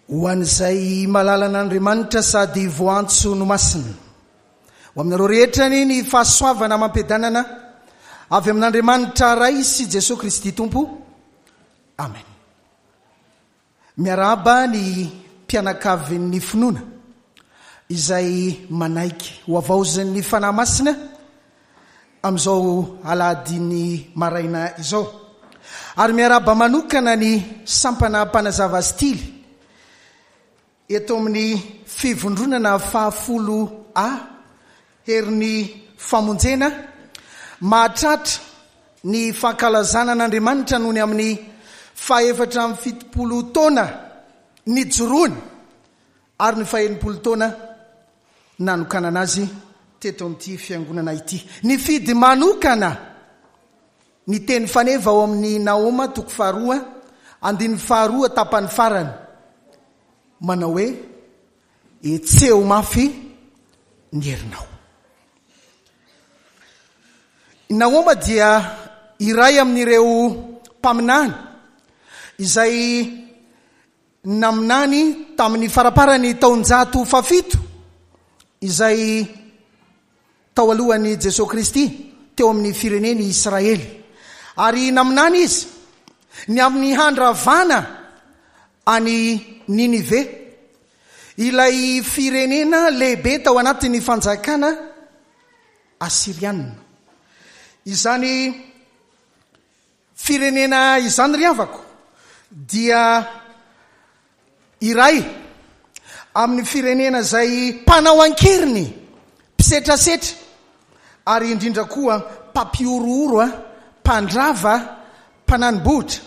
Ho an'izay malalan'Andriamanitra sady voantso no masina. Ho aminareo rehetra anie ny fahasoavana amam-piadanana avy amin'Andriamanitra Ray sy Jesoa Kristy Tompo. Amen. Miarahaba ny mpianakavin'ny finoana izay manaiky ho havaozin'ny Fanahy Masina amin'izao alahadin'ny maraina izao. Ary miarahaba manokana ny sampana mpanazava stily eto amin'ny fivondronana fahafolo A, herin'ny famonjena, mahatratra ny fankalazana an'Andriamanitra noho ny amin'ny faha-74 taona nijoroany ary ny faha-60 taona nanokanana azy teto amin'ity fiangonana ity. Nifidy manokana ny teny faneva ao amin'ny Nahoma toko faharoa, andininy faharoa tapany farany, manao hoe, Hetseho mafy ny herinao. I Nahoma dia iray amin'ireo mpaminany izay naminany tamin'ny faramparan'ny taonjato fahafito izay tao alohan'i Jesoa Kristy teo amin'ny firenen'i Israely. Ary naminany izy ny amin'ny handravana an'i Ninive, ilay firenena lehibe tao anatin'ny fanjakana Asyriana. Izany Firenena izany ry havako dia iray amin'ny firenena izay mpanao ankeriny, mpisetrasetra ary indrindra koa mpampihorohoro, mpandrava, mpanani-bohitra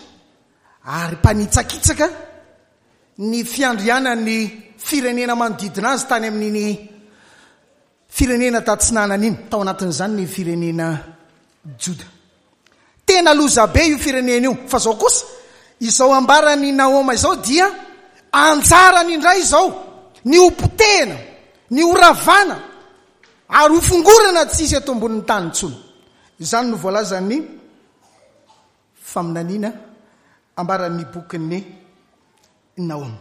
ary mpanitsakitsaka ny fiandrianan'ny firenena manodidina azy tany amin'iny Firenena tatsinanana iny, tao anatin'izany ny firenena Joda. Tena lozabe io firenena io. Fa izao kosa, izao ambaran'i Nahoma izao dia anjarany indray izao ny ho potehina, ny ho ravana ary ho fongorana tsy hisy eto ambonin'ny tany intsony. Izany no voalazan'ny faminaniana ambaran'ny bokin'ny Nahoma.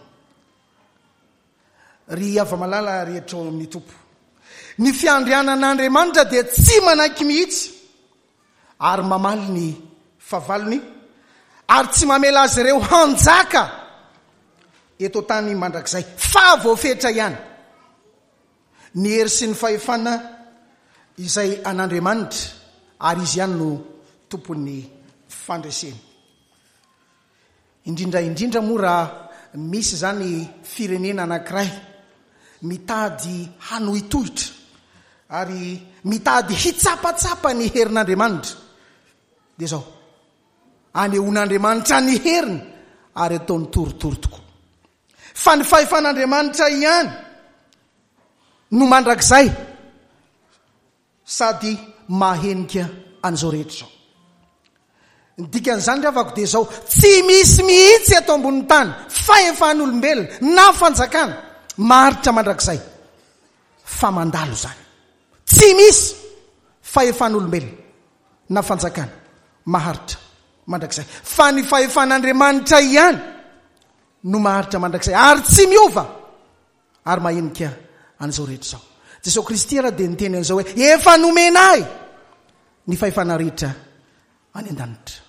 Ry hava-malala rehetra ao amin'ny Tompo, ny fiandrianan'Andriamanitra dia tsy manaiky mihitsy ary mamaly ny fahavalony ary tsy mamela azy ireo hanjaka eto an-tany mandrakizay, fa voafetra ihany ny hery sy ny fahefana izay an'Andriamanitra ary Izy ihany no tompon'ny fandresena. Indrindra indrindra moa raha misy izany firenena anankiray mitady hanohitohitra ary mitady hitsapatsapa ny herin'Andriamanitra, dia izao, anehoan'Andriamanitra ny heriny ary ataony torotoro tokoa. Fa ny fahefan'Andriamanitra ihany no mandrakizay. Sady mahahenika an'izao rehetra izao. Ny dikan'izany ry havako dia izao, tsy misy mihitsy eto ambonin'ny tany fahefan'olombelona na fanjakana maharitra mandrakizay fa mandalo izany. Tsy misy fahefan'olombelona na fanjakana maharitra mandrakizay fa ny fahefan'Andriamanitra ihany no maharitra mandrakizay ary tsy miova. Ary mahenika an'izao rehetra izao. Jesosy Kristy ara dia niteny an'izao hoe, Efa nomena ahy ny fahefana rehetra any an-danitra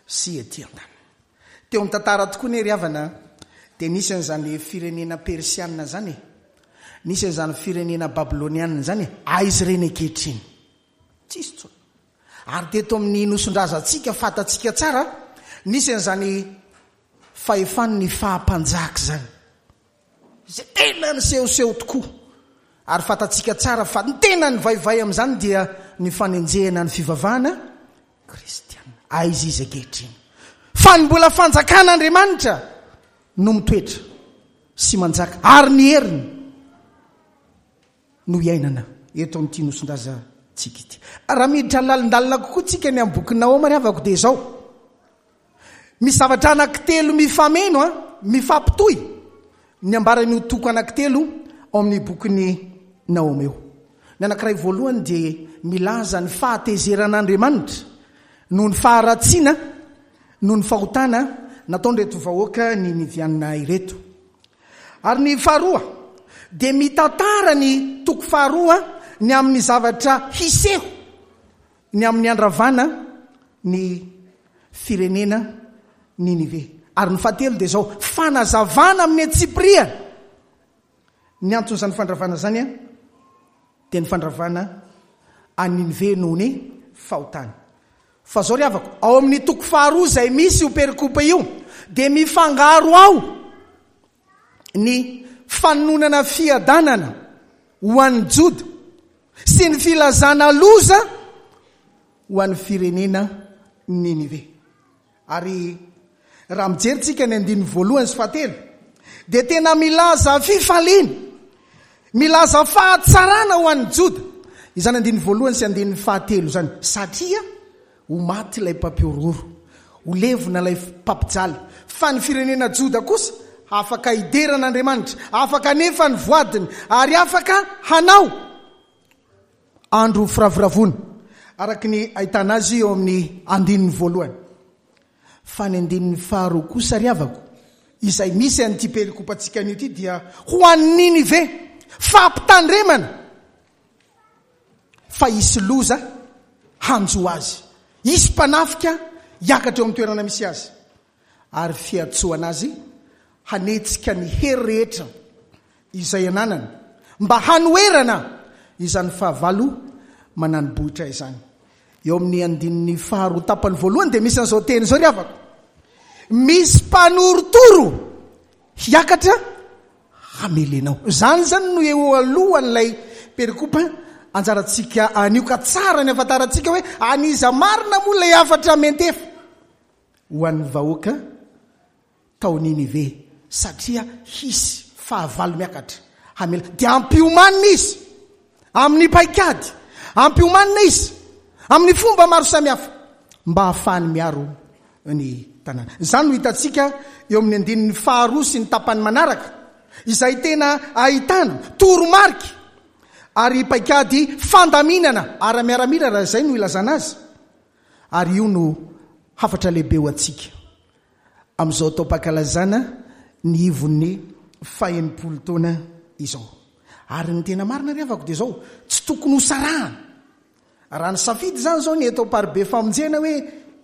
sy ety an-tany. Teo amin'ny tantara tokoa ne ry havana dia nisy an'izany firenena persiana izany e. Nisy an'izany firenena babyloniana izany e. Aiza ireny ankehitriny? Tsisy intsony. Ary teto amin'ny nosin-drazantsika fantatsika tsara, nisy an'izany fahefan'ny faha-mpanjaka izany. Izay tena nisehoseho tokoa. Ary fantatsika tsara fa ny tena nivaivay amin'izany dia ny fanenjehana ny fivavahana kristiana. Aiza izy ankehitriny? Fa ny mbola fanjakan'Andriamanitra no mitoetra sy manjaka ary ny heriny no iainana eto amin'ity nosin-drazantsika ity. Raha miditra lalindalina kokoa tsika ny amin'ny bokin'i Nahoma ry havako dia izao. Misy zavatra anankitelo mifameno an, mifampitohy ny ambaran'io toko anankitelo ao amin'ny bokin'i Nahoma io. Ny anankiray voalohany dia milaza ny fahatezeran'Andriamanitra noho ny faharatsiana noho ny fahotana nataon'ireto vahoaka ninivianina ireto. Ary ny faharoa dia mitantara ny toko faharoa ny amin'ny zavatra hiseho ny amin'ny handravana ny firenena Ninive. Ary ny fahatelo dia izao, fanazavana amin'ny antsipiriany ny anton'izany fandravana izany dia ny fandravana an'i Ninive noho ny fahotany. Fa izao ry havako, ao amin'ny toko faharoa izay misy io perikopa io dia mifangaro ao ny fanononana fiadanana ho an'ny Joda sy ny filazana loza ho an'ny firenena Ninive. Ary raha mijery tsika ny andininy voalohany sy fahatelo dia tena milaza fifaliana, milaza fahatsarana ho an'ny Joda izany andininy voalohany sy andininy fahatelo izany, satria ho maty ilay mpampihorohoro, ho levona ilay mpampijaly, fa ny firenena Joda kosa afaka hidera an'Andriamanitra, afaka hanefa ny voadiny, ary afaka hanao andro firavoravoana, araka ny ahitana azy eo amin'ny andininy voalohany. Fa ny andininy faharoa kosa ry havako, izay misy an'ity perikopantsika anio ity dia ho an'i Ninive, fampitandremana fa hisy loza hanjo azy, hisy mpanafika hiakatra eo amin'ny toerana misy azy, ary fiantsoana azy hanetsika ny hery rehetra izay ananany mba hanoherana izany fahavalo manani-bohitra izany. Eo amin'ny andininy faharoa tapany voalohany dia misy an'izao teny izao ry havako. Misy mpanorotoro hiakatra hamely anao. Izany izany no eo alohan'ilay perikopa anjarantsika anio ka tsara ny afantarantsika hoe an'iza marina moa ilay hafatra miantefa ho an'ny vahoaka tao Ninive, satria hisy fahavalo miakatra hamela. Dia ampiomanina izy amin'ny paikady, ampiomanina izy amin'ny fomba maro samihafa mba hahafahany miaro ny tanàna. Izany no hitantsika eo amin'ny andininy faharoa sy ny tapany manaraka, izay tena ahitana toromarika ary paikady fandaminana ara-miaramila raha izay no ilazana azy. Ary io no hafatra lehibe ho antsika amin'izao taom-pankalazana ny ivon'ny fahenimpolo taona izao. Ary ny tena marina ry havako dia izao, tsy tokony ho sarahana. Raha nisafidy izany izao ny eto Amparibe Famonjena hoe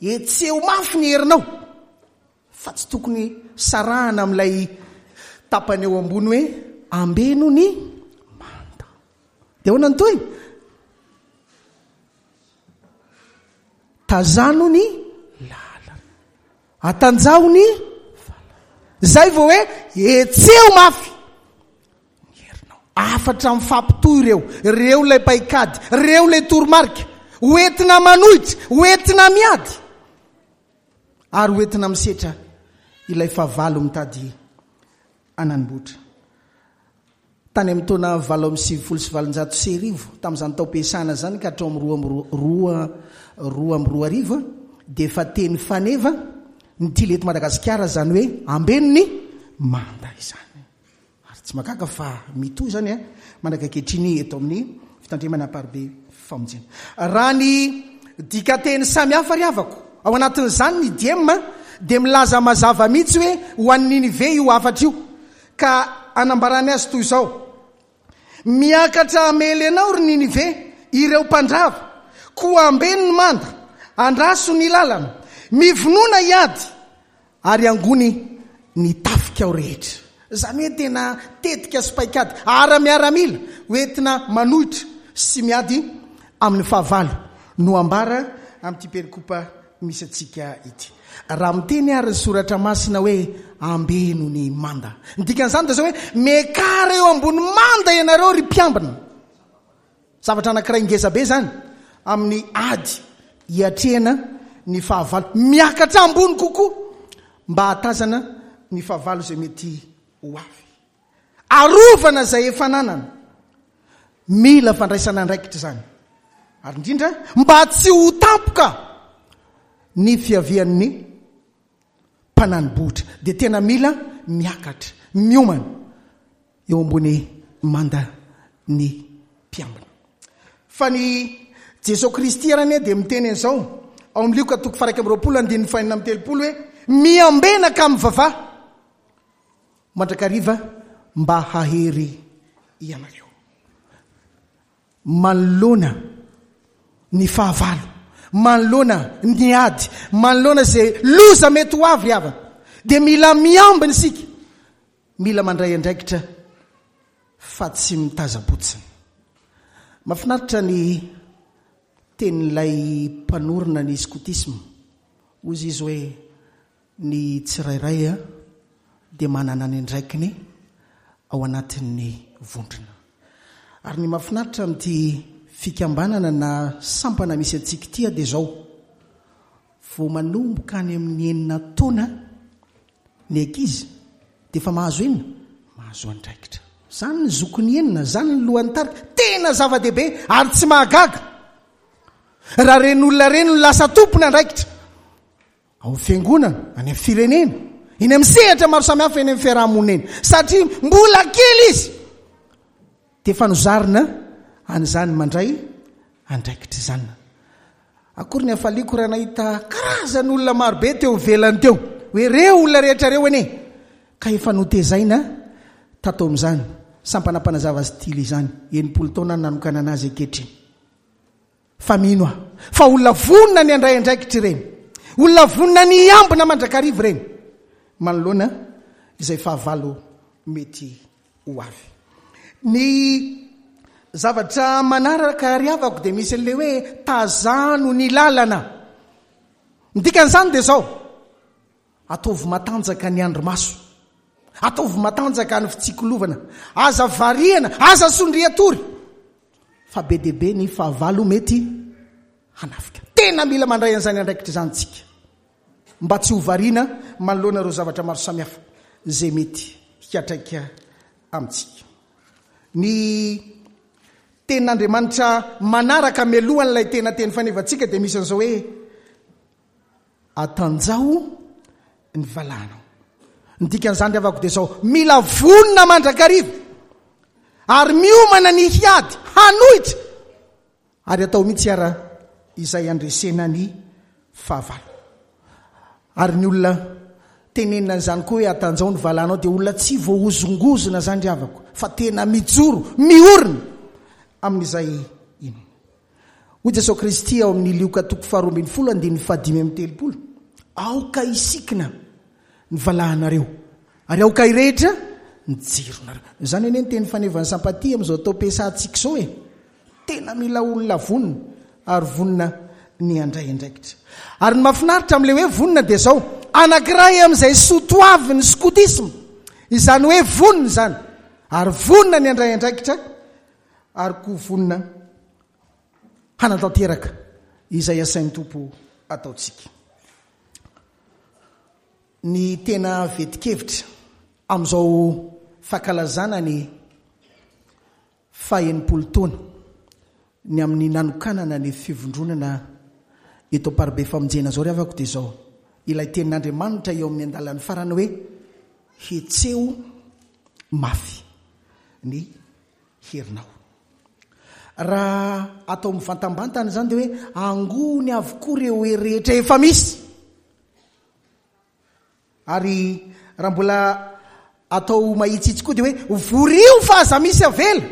hetseho mafy ny herinao, fa tsy tokony sarahana amin'ilay tapany eo ambony hoe ambeno ny manda. Dia ahoana ny tohiny? Tazano ny lalana. Atanjaho ny valala. Zay vao hoe hetseho mafy ny herinao. Hafatra mifampitohy ireo. Ireo ilay paikady, ireo ilay toromarika. Ho entina manohitra, ho entina miady ary ho entina misetra ilay fahavalo mitady hananbotra. Tany amin'ny taona 1898, tamin'izany taom-piasana izany ka hatrao amin'ny 2002, dia efa teny faneva ny tily eto Madagasikara izany hoe ambeno ny manda izany. Ary tsy mahagaga fa mitohy izany mandraka ankehitriny eto amin'ny fitandremana Amparibe Famonjena. Raha ny dikanteny samihafa ry havako, ao anatin'izany ny diem dia milaza mazava mihitsy hoe ho an'i Ninive io hafatra io. Ka anambarany azy toy izao, Miakatra hamely anao, ry Ninive, ireo mpandrava, koa ambeno ny manda, andraso ny lalana, mivonona hiady, ary angony ny tafikao rehetra. Izany hoe tena tetika sy paikady ara-miaramila hoentina manohitra sy miady amin'ny fahavalo no ambara amin'ity perikopa misy antsika ity. Raha miteny àry ny Soratra Masina hoe ambeno ny manda, ny dikan'izany dia izao hoe miakara eo ambony manda ianareo ry mpiambina. Zavatra anankiray ngeza be izany amin'ny ady hiatrehana ny fahavalo. Miakatra ambony kokoa mba hahatazana ny fahavalo izay mety ho avy. Arovana izay efa ananana. Mila fandraisana andraikitra izany. Ary indrindra mba tsy ho tampoka ny fiavian'ny mpanani-bohitra dia tena mila miakatra, miomana eo ambony manda ny mpiambina. Fa ny Jesoa Kristy ary anie dia miteny an'izao ao amin'ny Lioka toko faha 21 andininy faha 36 hoe miambena ka mivavaha. Mandrakariva. mba hahery ianareo. Manoloana ny fahavalo, manoloana ny ady, manoloana izay loza mety ho avy ry havana, dia mila miambina isika, mila mandray andraikitra fa tsy mitazam-potsiny. Mahafinaritra ny tenin'ilay mpanorina ny skotisma, hoy izy hoe, Ny tsirairay dia manana ny andraikiny ao anatin'ny vondrona. Ary ny mahafinaritra amin'ity fikambanana na sampana misy antsika ity dia izao, vao manomboka any amin'ny enina taona ny ankizy dia efa mahazo inona? Mahazo andraikitra. Izany ny zokiny enina, izany ny lohan'ny tarika. Tena zava-dehibe ary tsy mahagaga raha ireny olona ireny no lasa tompon'andraikitra. Ao amin'ny fiangonana, any amin'ny firenena, eny amin'ny sehatra maro samihafa eny amin'ny fiaraha-monina eny. Satria mbola kely izy dia efa nozarina an'izany mandray andraikitra izany. Akory ny hafaliako raha nahita karazan'olona marobe teo ivelany teo. Hoe ireo olona rehetra ireo anie ka efa notezaina tato amin'izany sampana mpanazava style izany. 60 taona no nanokanana azy ankehitriny. Fa mino aho fa olona vonona ny handray andraikitra ireny, olona vonona ny hiambina mandrakariva ireny manoloana izay fahavalo mety ho avy. Ny zavatra manaraka ry havako dia misy an'ilay hoe tazano ny lalana. Ny dikan'izany dia izao, Ataovy matanjaka ny andrimaso. Ataovy matanjaka ny fitsikolovana. Aza variana, aza sondrian-tory. Fa be dia be ny fahavalo mety hanafika. Tena mila mandray an'izany andraikitra izany tsika. Mba tsy ho variana manoloana ireo zavatra maro samihafa izay mety hiatraika amintsika. Ny tenin'Andriamanitra manaraka mialohan'ilay tena teny fanevantsika dia misy an'izao hoe Atanjaho ny valahanao. Ny dikan'izany ry havako dia izao, mila vonona mandrakariva ary miomana ny hiady, hanohitra ary atao mihitsy ara izay handresena ny fahavalo. Ary ny olona tenenina an'izany koa hoe atanjaho ny valahanao dia olona tsy voahozongozona izany ry havako fa tena mijoro, miorina amin'izay inoana. Hoy Jesoa Kristy ao amin'ny Lioka toko faharoa ambin'ny folo andininy fahadimy amby telopolo, Aoka hisikina ny valahanareo, ary aoka hirehitra ny jironareo. Izany anie ny teny fanevan'ny Sampatia amin'izao taom-piasantsika izao e! Tena mila olona vonona ary vonona ny handray andraikitra. Ary ny mahafinaritra amin'ilay hoe vonona dia izao, anankiray amin'izay soa toavin'ny skotisma, izany hoe vonona izany, ary vonona ny handray andraikitra, ary koa vonona hanatanteraka izay asain'ny Tompo ataontsika. Ny tena vetin-kevitra amin'izao fankalazana ny faha-enimpolo taona ny amin'ny nanokanana ny fivondronana eto Amparibe Famonjena izao ry havako dia izao, ilay tenin'Andriamanitra eo amin'ny andalan'ny farany hoe hetseho mafy ny herinao. Raha atao mivantambantana izany dia hoe angony avokoa ireo hery rehetra efa misy. Ary raha mbola atao mahitsitsy koa dia hoe vorio fa aza misy avela.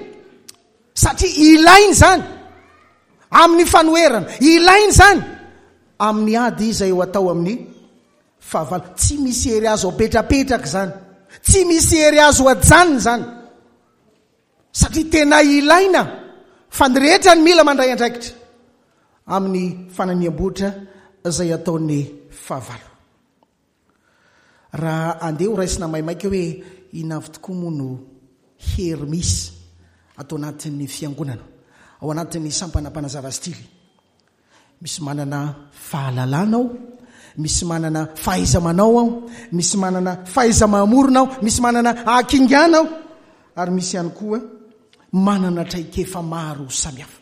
Satria ilaina izany amin'ny fanoherana, ilaina izany amin'ny ady izay ho atao amin'ny fahavalo. Tsy misy hery azo apetrapetraka izany. Tsy misy hery azo ajanona izany. Satria tena ilaina fa ny rehetra ny mila mandray andraikitra amin'ny fananiam-bohitra izay ataon'ny fahavalo. Raha andeha ho raisina maimaika hoe inona avy tokoa moa no hery misy ato anatin'ny fiangonana, ao anatin'ny sampana mpanazava stily, Misy manana fahalalana ao, misy manana fahaiza-manao ao, misy manana fahaiza-mamorona ao, misy manana hakingana ao, ary misy ihany koa manana traikefa maro samihafa.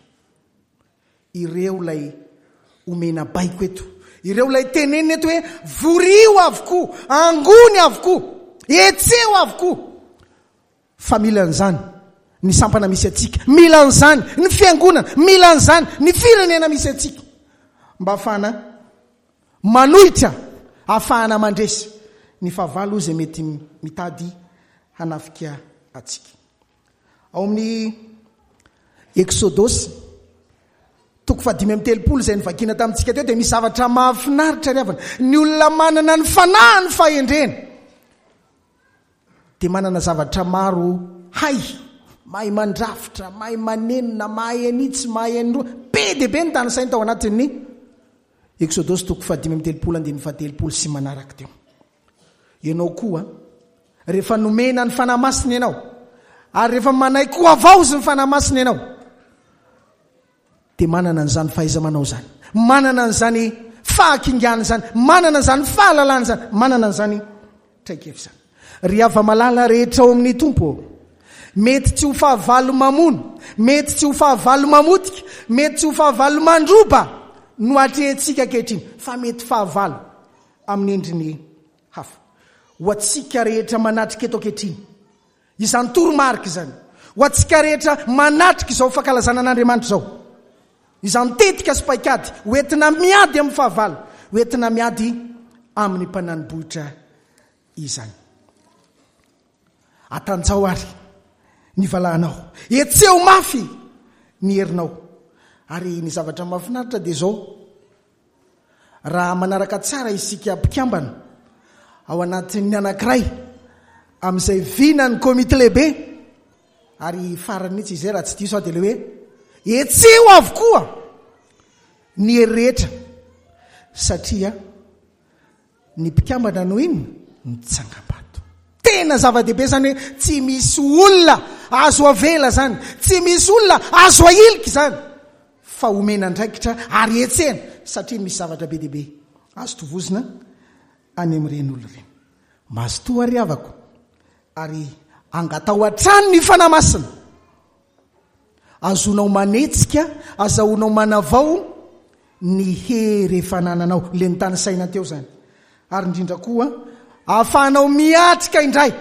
Ireo ilay omena baiko eto, ireo ilay tenenina eto hoe vorio avokoa, angony avokoa, hetseho avokoa. Fa mila an'izany ny sampana misy antsika, mila an'izany ny fiangonana, mila an'izany ny firenena misy antsika mba hahafahana manohitra, hahafahana mandresy ny fahavalo izay mety mitady hanafika. antsika. Ao amin'ny Eksodosy, toko fahadimy amby telopolo izay novakiana tamintsika teo dia misy zavatra mahafinaritra ry havana. Ny olona manana ny fanahin'ny fahendrena dia manana zavatra maro hay, mahay mandrafitra, mahay manenona, mahay an'itsy, mahay an'iroa. Be dia be ny tanisainy tao anatin'ny Eksodosy toko fahadimy amby telopolo andininy fahatelopolo sy manaraka teo. Ianao koa, rehefa nomena ny Fanahy Masina ianao, ary rehefa manaiky ho havaozy ny Fanahy Masina ianao, dia manana an'izany fahaiza-manao izany, manana an'izany fahakingana izany, manana an'izany fahalalana izany, manana an'izany traikefa izany. Ry hava-malala rehetra ao amin'ny Tompo ô, mety tsy ho fahavalo mamono, mety tsy ho fahavalo mamotika, mety tsy ho fahavalo mandroba no atrehintsika ankehitriny, fa mety fahavalo amin'ny endriny hafa. Ho antsika rehetra manatrika eto ankehitriny, izany toromarika izany. Ho antsika rehetra manatrika izao fankalazana an'Andriamanitra izao, izany tetika sy paikady ho entina miady amin'ny fahavalo, ho entina miady amin'ny mpanani-bohitra izany. Atanjao ary ny valahanao, hetseho mafy ny herinao. Ary ny zavatra mahafinaritra dia izao, Raha manaraka tsara isika mpikambana ao anatin'ny anankiray amin'izay vinan'ny komity lehibe, ary farany mihitsy izay raha tsy diso aho dia ilay hoe hetseho avokoa ny hery rehetra satria Ny mpikambana no inona? Ny tsangambato. Tena zava-dehibe izany hoe tsy misy olona azo avela izany, tsy misy olona azo ahilika izany, fa omena andraikitra ary hetsehina satria misy zavatra be dia be azo tovozina any amin'ireny olona ireny. Mazotoa ry havako ary angataho hatrany ny Fanahy Masina. Azonao manetsika, azahoanao manavao ny hery efa anananao, ilay notanisaina teo izany. Ary indrindra koa, ahafahanao miatrika indray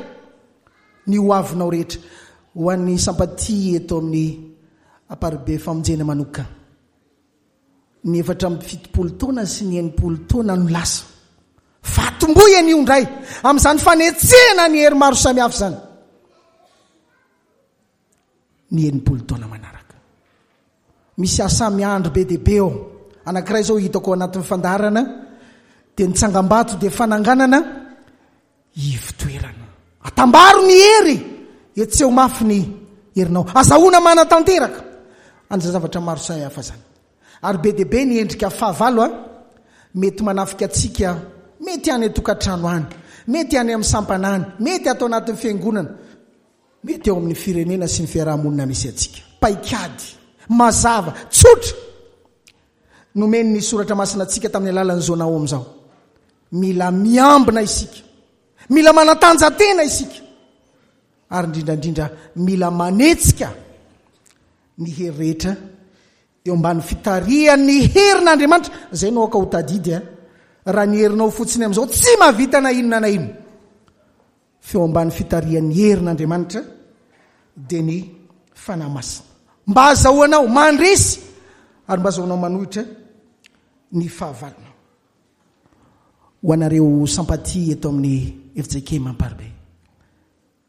ny ho avinao rehetra. Ho an'ny sampatia eto amin'ny Amparibe Famonjena manokana. Ny 74 taona sy ny 60 taona no lasa. Fa atombohy anio indray amin'izany fanetsehana ny hery maro samihafa izany. ny 60 taona manaraka. Misy asa miandry be dia be ao. Anankiray izao hitako ao anatin'ny fandaharana dia ny tsangambato dia fananganana ivotoerana. Atambaro ny hery, hetseho mafy ny herinao. Azahoana manatanteraka an'izay zavatra maro samihafa izany. Ary be dia be ny endrika fahavalo a, mety manafika antsika, mety any an-tokantrano any, mety any amin'ny sampana any, mety ato anatin'ny fiangonana. Mety eo amin'ny firenena sy ny fiaraha-monina misy antsika. Paikady mazava, tsotra, nomen'ny Soratra Masina antsika tamin'ny alalan'i Zona Naomy izao. Mila miambina isika. Mila manatanja-tena isika. Ary indrindra indrindra mila manetsika ny hery rehetra eo ambany fitarihan'ny herin'Andriamanitra. Izay no aoka ho tadidy a. Raha ny herinao fotsiny amin'izao tsy mahavita na inona na inona. Feo ambany fitarihan'ny herin'Andriamanitra dia ny Fanahy Masina. Mba hazahoanao mandresy ary mba hazahoanao manohitra ny fahavalonao. Ho anareo sampatia eto amin'ny FJKM Amparibe,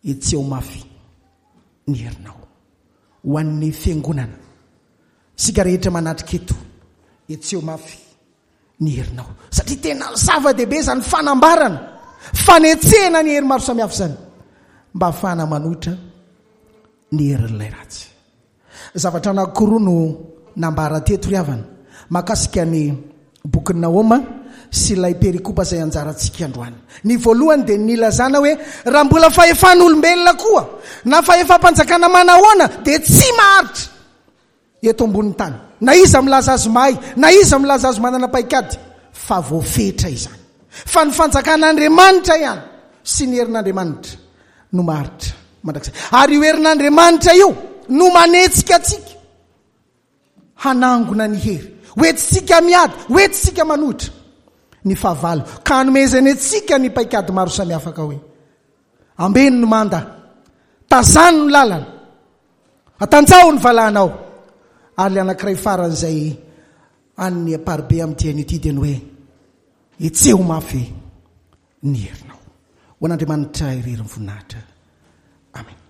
hetseho mafy ny herinao. Ho an'ny fiangonana, isika rehetra manatrika eto, hetseho mafy ny herinao. Satria tena zava-dehibe izany fanambarana, fanetsehana ny hery maro samihafa izany, mba hahafahana manohitra ny herin'ilay ratsy. Zavatra anankiroa no nambara teto ry havana, mahakasika ny bokin'i Nahoma sy ilay perikopa izay anjarantsika androany. Ny voalohany dia nilazana hoe raha mbola fahefan'olombelona koa na fahefam-panjakana manahoana dia tsy maharitra. eto ambonin'ny tany, na iza milaza azy mahay, na iza milaza azy manana paikady, fa voafetra izany. Fa ny fanjakan'Andriamanitra ihany sy ny herin'Andriamanitra no maharitra mandrakizay. Ary io herin'Andriamanitra io no manetsika antsika hanangona ny hery. Hoentintsika miady, hoentintsika manohitra ny fahavalo, ka hanomezany antsika ny paikady maro samihafa ka hoe, ambeno ny manda, tazano ny lalana, Atanjaho ny valahanao. Ary ilay anankiray farany izay an'ny Amparibe amin'ity anio ity dia ny hoe, Hetseho mafy ny herinao. Ho an'Andriamanitra irery ny voninahitra. Amena.